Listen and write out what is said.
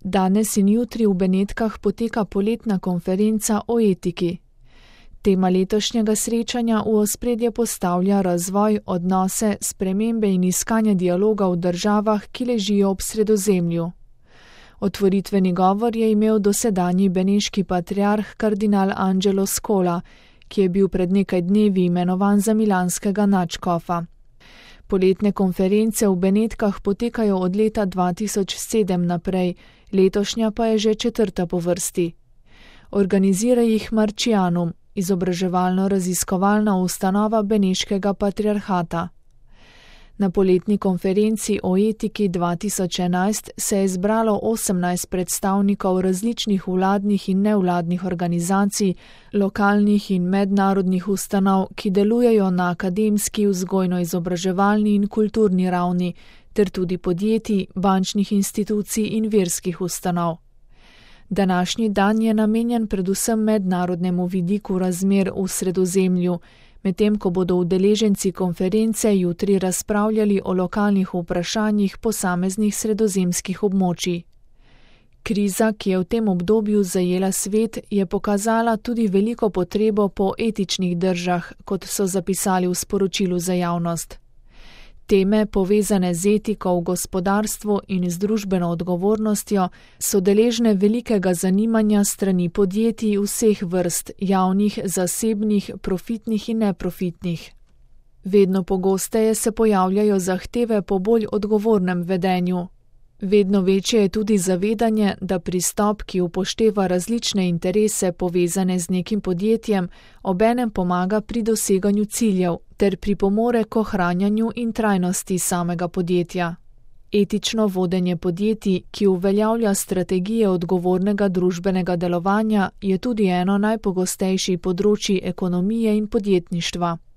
Danes in jutri v Benetkah poteka poletna konferenca o etiki. Tema letošnjega srečanja v ospredje postavlja razvoj, odnose, spremembe in iskanje dialoga v državah, ki ležijo ob Sredozemlju. Otvoritveni govor je imel dosedanji beneški patriarh kardinal Angelo Scola, ki je bil pred nekaj dnevi imenovan za milanskega nadškofa. Poletne konference v Benetkah potekajo od leta 2007 naprej, letošnja pa je že 4. po vrsti. Organizira jih Marcianum, izobraževalno-raziskovalna ustanova beneškega patriarhata. Na poletni konferenci o etiki 2011 se je zbralo 18 predstavnikov različnih vladnih in nevladnih organizacij, lokalnih in mednarodnih ustanov, ki delujejo na akademski, vzgojno-izobraževalni in kulturni ravni, ter tudi podjetij, bančnih institucij in verskih ustanov. Današnji dan je namenjen predvsem mednarodnemu vidiku razmer v Sredozemlju, medtem ko bodo udeleženci konference jutri razpravljali o lokalnih vprašanjih posameznih sredozemskih območij. Kriza, ki je v tem obdobju zajela svet, je pokazala tudi veliko potrebo po etičnih držah, kot so zapisali v sporočilu za javnost. Teme, povezane z etiko v gospodarstvu in z družbeno odgovornostjo, so deležne velikega zanimanja strani podjetij vseh vrst, javnih, zasebnih, profitnih in neprofitnih. Vedno pogosteje se pojavljajo zahteve po bolj odgovornem vedenju. Vedno večje je tudi zavedanje, da pristop, ki upošteva različne interese povezane z nekim podjetjem, obenem pomaga pri doseganju ciljev ter pripomore k ohranjanju in trajnosti samega podjetja. Etično vodenje podjetij, ki uveljavlja strategije odgovornega družbenega delovanja, je tudi eno najpogostejših področij ekonomije in podjetništva.